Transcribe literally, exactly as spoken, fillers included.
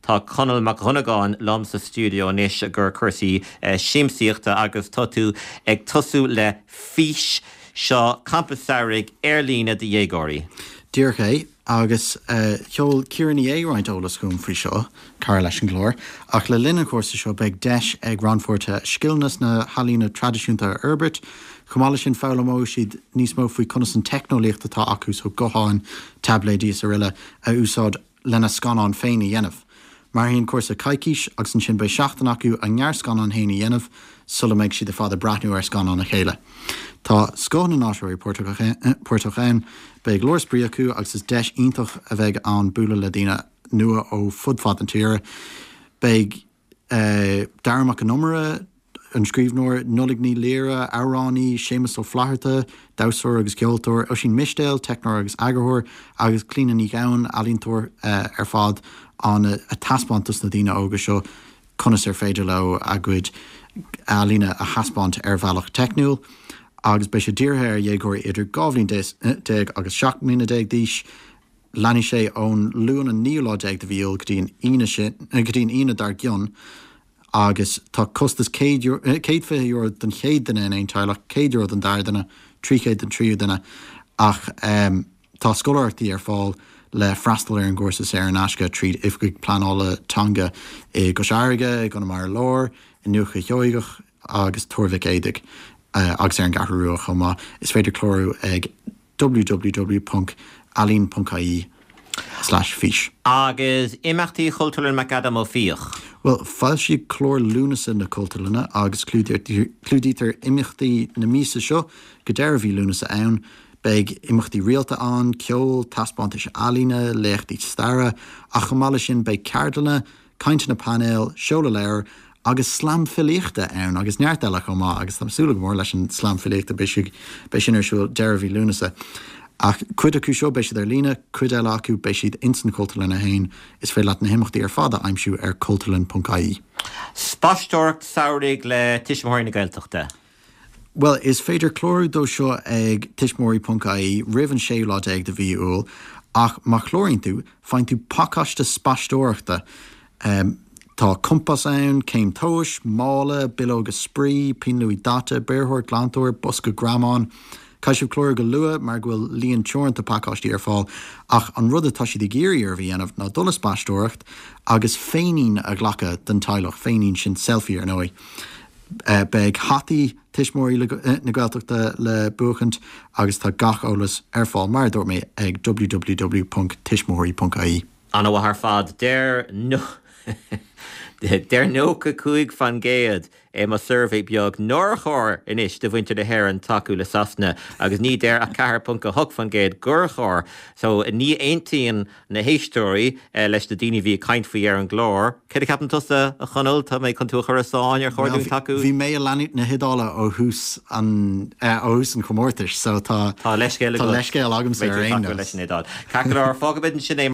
Tá Conall Mac Dhonnagáin liom sa stiúideo anois gur cúrsaí siamsaíochta agus tá tú ag tosú le fís seo campa samhraidh ar líne do dhéagóirí. Díreach é agus uh, sheol Ciara Ní É roinnt eolas chugam faoi seo cara leis an gclár, ach le linn an chúrsa seo beidh deis ag rannpháirtithe scileanna na healaíona traidisiúnta a fhorbairt, Chomh maith leis sin foghlaimeoidh siad níos mó faoi conas an teicneolaíocht atá acu so gutháin, taibléidí is araile a úsáid lena scannán féin a dhéanamh. Mairfidh an cúrsa coicís agus ansin beidh seachtain acu a ngearrscannán féin a dhéanamh sula mbeidh siad ar fad ag breathnú ar scannán a chéile. Tá scoth na n-áisitheoirí páirteach ann, beidh leor spraoi acu agus is deis iontach a bheidh ann bualadh le daoine nua ó fud fad an tíre. Beidh uh, Darach Mac Con Iomaire, an scríbhneoir Nollaig Ní Laoire, amhránaí, Séamus Ó Flatharta, damhsóir agus ceoltóir, Oisín Mistéil, teicneoir agus eagarthóir, agus Clíona Ní Ghabhann ealaíontóir uh, ar fad an a taispeáint dos na daoine óga seo conas ar féidir leo a gcuid ealaíne a thaispeáint ar bhealach teicniúil, agus beidh sé dírithe ar dhéagóirí idir dhá bhliain déag agus seacht mbliana déag d'aois, Leanfaidh sé ón Luan an naoú lá déag de mhí Iúil go dtí an go dtí an Aoine dár gcionn, agus tá costas céad fiche euro don chéad duine in aon teaghlach, céad euro don dara duine, trí chéad don tríú duine ach um, tá scoláireachtaí ar fáil le freastal ar an gcúrsa saor in aisce tríd oifigigh pleanála teanga i gCois Fharraige, i gConamara Láir, i nDúiche Sheoigeach agus Tuar Mhic Éadaigh uh, agus ar an gCeathrú Rua chomh maith. Is féidir clárú ag www.ealaín.ie slash fís. Agus imeachtaí Chultúrlann McAdam Ó Fiaich. Well, foilsíodh clár Lúnasa na Cultúrlainne agus clúdaítear imeachtaí na míosa seo go deireadh mhí Lúnasa ann, beidh imeachtaí rialta ann, ceol, taispeántais ealaíne, léachtaí staire, ach chomh maith leis sin beidh ceardlanna, cainteanna painéil, seoladh leabhar agus slam filíochta ann agus neart eile chomh maith agus tá súil go mór leis an slam filíochta beidh sin ar siúl deireadh mhí Lúnasa. Ach cuid acu seo beidh siad ar líne, cuid eile acu beidh siad insan Chultúrlann féin is féidir leat na himeachtaí ar fad a aimsiú ar cultúrlann.ie. Spaisteoireacht samhraidh le Tuismitheoirí na Gaeltachta. Well, is féidir clárú dó seo ag tuismitheoirí.ie roimh an séú lá déag de mhí Iúil, ach má chláraíonn tú, faigheann tú pacáiste spaisteoireachta. Um, Tá compás ann, céim tomhais, mála, bileoga spraoi, pinn luaidhe daite, beirtheoir, glantóir, bosca greamán. Caithfidh sibh clárú go luath mar go bhfuil líon teoranta pacáistí ar fáil ach an rud atá siad ag iarraidh oraibh a dhéanamh ná dul ag spaisteoireacht agus féinín a ghlacadh den teaghlach, féinín sin selfie ar ndóigh. Uh, beidh hataí tuismitheoirí na Gaeltachta le buachaint agus tá gach eolas ar fáil mar dúirt mé ag www.tuismitheoirí.ie. An-mhaith ar fad deir no Deir nócha cúig faoin gcéad é mo suirbhé beag nár chóir anois do mhuintir na hÉireann tacú le Sasana agus ní deir ach ceathair ponc a hocht faoin gcéad gur chóir, so ní aontaíonn na héisteoirí eh, leis na daoine bhí ag caint faoi ar an gclár. Cé a cheapann tusa a Chonaill tá mé chun tú a chur sáin ar chóir tacú? Bhí mé ag leanúint na hIodáile ó thús an eh, ó thús an chomórtais, so tá Tá leithscéal Tá leithscéal agamsa ar aon leis an Iodáil. Ceart go leor fágfaimid sin é